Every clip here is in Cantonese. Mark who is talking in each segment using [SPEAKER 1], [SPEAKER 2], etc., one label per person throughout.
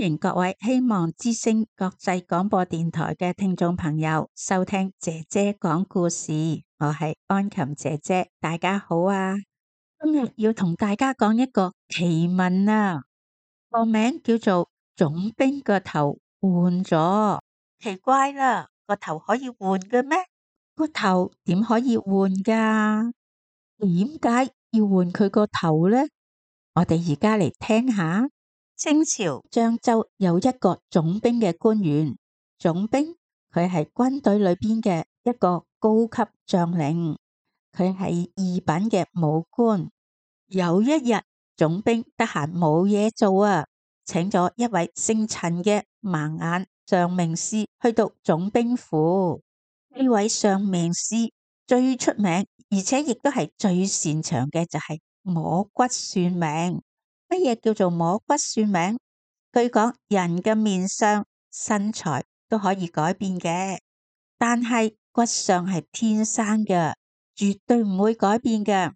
[SPEAKER 1] 迎各位希望之聲國際廣播電台嘅聽眾朋友收聽姐姐講故事，我係安琴姐姐，大家好啊！今日要同大家講一個奇聞啊，個名叫做總兵個頭換咗，奇怪啦，個頭可以換嘅咩？個頭點可以換噶？點解要換佢個頭呢？我哋而家嚟聽下。清朝漳州有一個總兵嘅官員，總兵佢係軍隊裏邊嘅一個高級將領，佢係二品嘅武官。有一日，總兵得閒冇嘢做啊，請咗一位姓陳嘅盲眼上命師去到總兵府。呢位上命師最出名，而且亦都係最擅長嘅就係摸骨算命。乜嘢叫做摸骨算命？據講，人嘅面相、身材都可以改變嘅，但係骨相係天生嘅，絕對唔會改變嘅。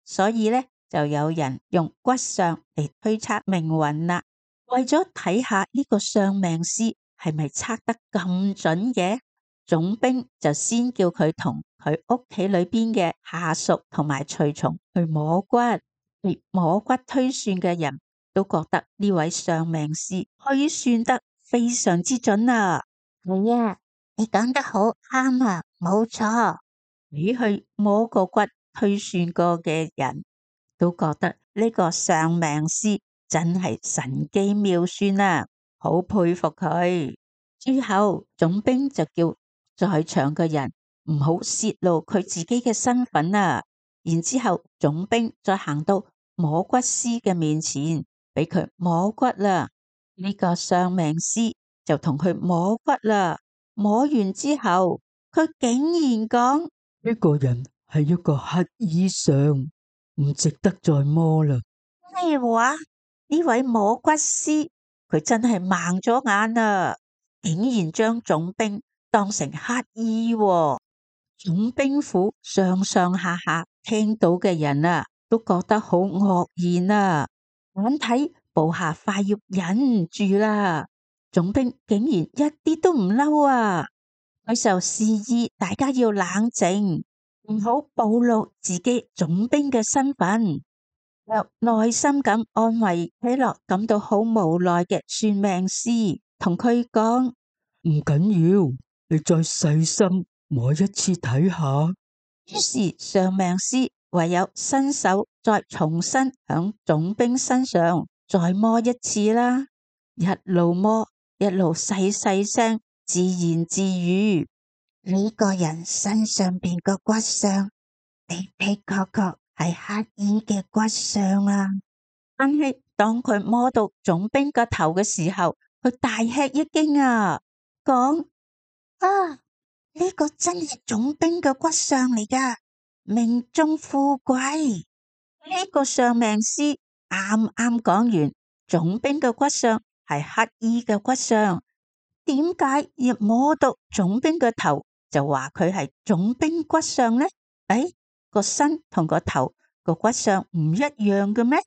[SPEAKER 1] 所以咧，就有人用骨相嚟推測命運啦。為咗睇下呢個上命師係咪測得咁準嘅，總兵就先叫佢同佢屋企裏邊嘅下屬同埋隨從去摸骨。摸骨推算嘅人都覺得呢位上命師推算得非常之準啊！係啊，你講得好啱啊，冇錯。你去摸個骨推算過嘅人都覺得呢個上命師真係神機妙算啊，好佩服佢。之後總兵就叫在場嘅人唔好洩露佢自己嘅身份啊。然之後總兵再行到摸骨師嘅面前，俾佢摸骨啦。呢個上命師就同佢摸骨啦。摸完之後，佢竟然講：
[SPEAKER 2] 呢個人係一個乞衣相，唔值得再摸啦。
[SPEAKER 1] 咩話？呢位摸骨師佢真係盲咗眼啊！竟然將總兵當成乞衣喎。總兵府上上下下聽到嘅人啊，都覺得好愕然啊！眼睇部下快要忍唔住啦，總兵竟然一啲都唔嬲啊！佢就示意大家要冷靜，唔好暴露自己總兵嘅身份，又耐心咁安慰睇落感到好無奈嘅算命師，同佢講：
[SPEAKER 2] 唔緊要，你再細心摸一次睇下。
[SPEAKER 1] 於是上命師唯有伸手再重新響總兵身上再摸一次啦，一路摸一路細細聲自言自語：呢個人身上邊個骨相的的確確係乞衣嘅骨相啊！但係當佢摸到總兵個頭嘅時候，佢大吃一驚啊，講：啊！呢個真係總兵嘅骨相嚟噶，命中富貴。呢個上命師啱啱講完，總兵嘅骨相係乞衣嘅骨相，點解一摸到總兵嘅頭就話佢係總兵骨相呢？誒，個身同個頭個骨相唔一樣嘅咩？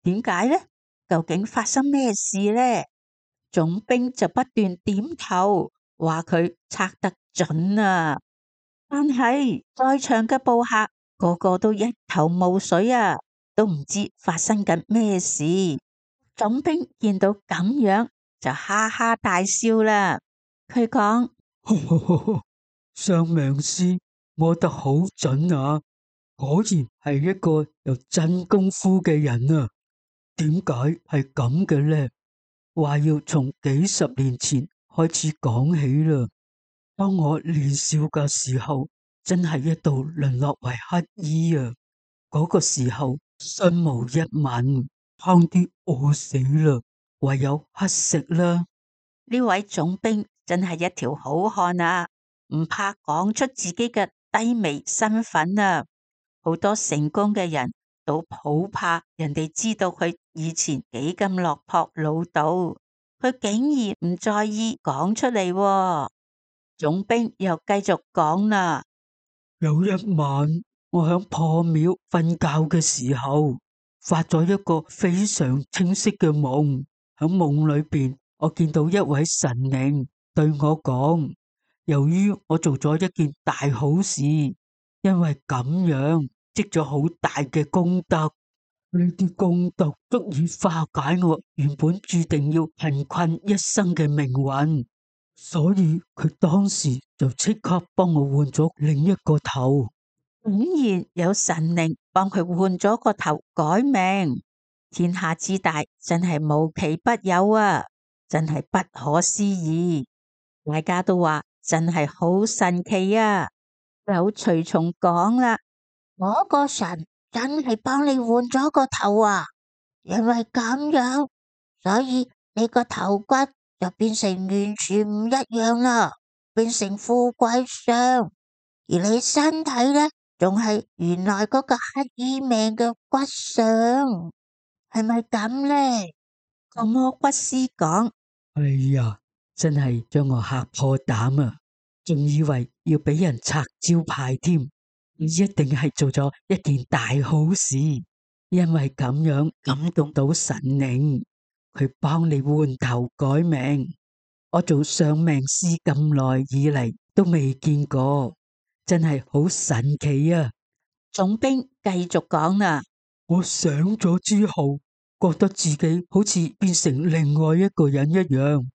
[SPEAKER 1] 點解呢？究竟發生咩事呢？總兵就不斷點頭，話佢測得準啊！但係在場嘅部下個個都一頭霧水啊，都唔知發生緊咩事。總兵見到咁樣就哈哈大笑啦。佢講：
[SPEAKER 2] 上命師摸得好準啊，果然係一個有真功夫嘅人啊！點解係咁嘅呢？話要從幾十年前開始講起啦。當我年少嘅時候，真係一度淪落為乞衣啊！嗰個時候身無一文，差啲餓死啦，唯有乞食啦。
[SPEAKER 1] 呢位總兵真係一條好漢啊，唔怕講出自己嘅低微身份啊！好多成功嘅人都好怕人哋知道佢以前幾咁落魄潦倒，佢竟然唔在意講出嚟喎。總兵又繼續講啦：
[SPEAKER 2] 有一晚，我響破廟瞓覺嘅時候，發咗一個非常清晰嘅夢。響夢裏邊，我見到一位神靈對我講，由於我做咗一件大好事，因為咁樣積咗好大嘅功德，呢啲功德足以化解我原本注定要貧困一生嘅命運，所以佢當時就即刻幫我換咗另一個頭。
[SPEAKER 1] 竟然有神靈幫佢換咗個頭改命，天下之大真係無奇不有啊！真係不可思議，大家都話真係好神奇啊！有隨從講啦，嗰個神真係幫你換咗個頭啊！因為咁樣，所以你個頭骨就變成完全唔一樣啦，變成富貴相，而你身體呢，仲係原來嗰個乞衣命嘅骨相，係咪咁呢？個魔骨師講：
[SPEAKER 2] 哎呀，真係將我嚇破膽啊！仲以為要俾人拆招牌添，一定係做咗一件大好事，因為咁樣感動到神靈，佢幫你換頭改命。我做上命師咁耐以嚟都未見過，真係好神奇啊！
[SPEAKER 1] 總兵繼續講啦，
[SPEAKER 2] 我醒咗之後，覺得自己好似變成另外一個人一樣，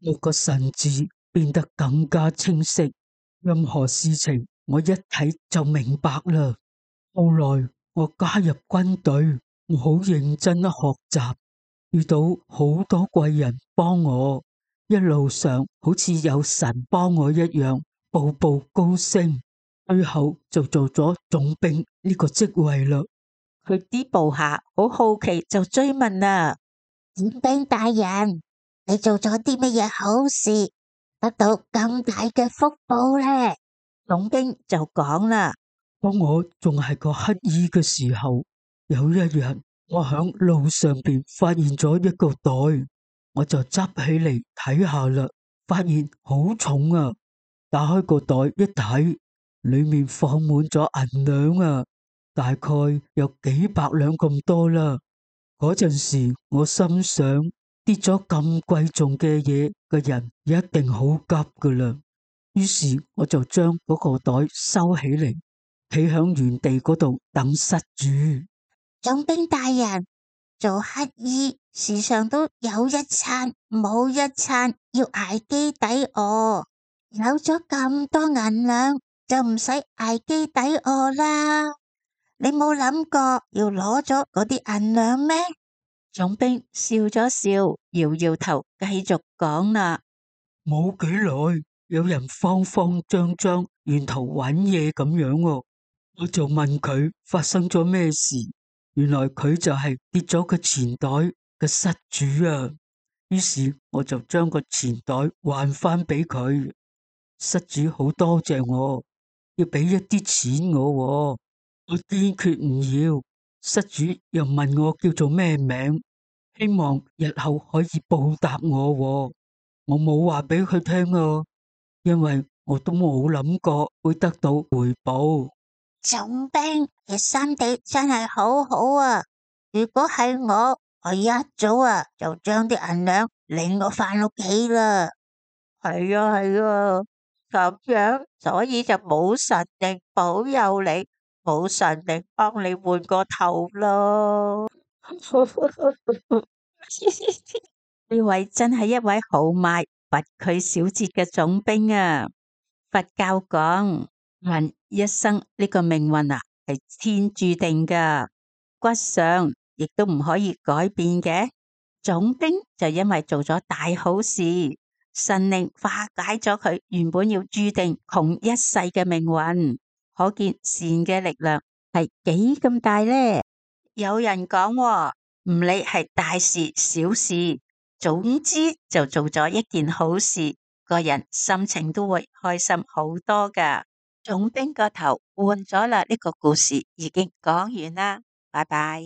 [SPEAKER 2] 我個神智變得更加清晰，任何事情我一睇就明白啦。後來我加入軍隊，我好認真學習，遇到好多貴人幫我，一路上好似有神幫我一樣，步步高升，最後就做咗總兵呢個職位啦。
[SPEAKER 1] 佢啲部下好好奇就追問啦，總兵大人，你做咗啲乜嘢好事，得到咁大嘅福報呢？總兵就講啦，
[SPEAKER 2] 當我仲係個乞衣嘅時候，有一日我響路上邊發現咗一個袋，我就執起嚟睇下啦，發現好重啊！打開個袋一睇，裏面放滿咗銀兩啊，大概有幾百兩咁多啦。嗰陣時我心想，跌咗咁貴重嘅嘢嘅人一定好急噶啦，於是我就將嗰個袋收起嚟，企響原地嗰度等失主。
[SPEAKER 1] 總兵大人，做乞衣時常都有一餐冇一餐，要捱飢抵餓。有咗咁多銀兩，就唔使捱飢抵餓啦。你冇諗過要攞咗嗰啲銀兩咩？總兵笑咗笑，搖搖頭，繼續講啦。
[SPEAKER 2] 冇幾耐，有人慌慌張張沿途揾嘢咁樣喎，我就問佢發生咗咩事。原來佢就係跌咗個錢袋嘅失主啊。於是我就將個錢袋還翻俾佢。失主好多謝我，要俾一啲錢我喎，我堅決唔要。失主又問我叫做咩名，希望日後可以報答我喎。我冇話俾佢聽啊，因為我都冇諗過會得到回報。
[SPEAKER 1] 總兵，你心地真係好好啊！如果係我一早就將啲銀兩領我返屋企啦。係啊係啊，咁樣所以就冇神靈保佑你，冇神靈幫你換個頭咯。呢位真係一位豪邁不拘小節嘅總兵啊！佛教講人一生呢個命運係天注定噶，骨相亦都唔可以改變嘅。總兵就因為做咗大好事，神靈化解咗佢原本要注定窮一世嘅命運，可見善嘅力量係幾咁大呢？有人講喎，唔理係大事小事，總之就做咗一件好事，個人心情都會開心好多噶。總兵個頭換咗啦，呢個故事已經講完啦，拜拜。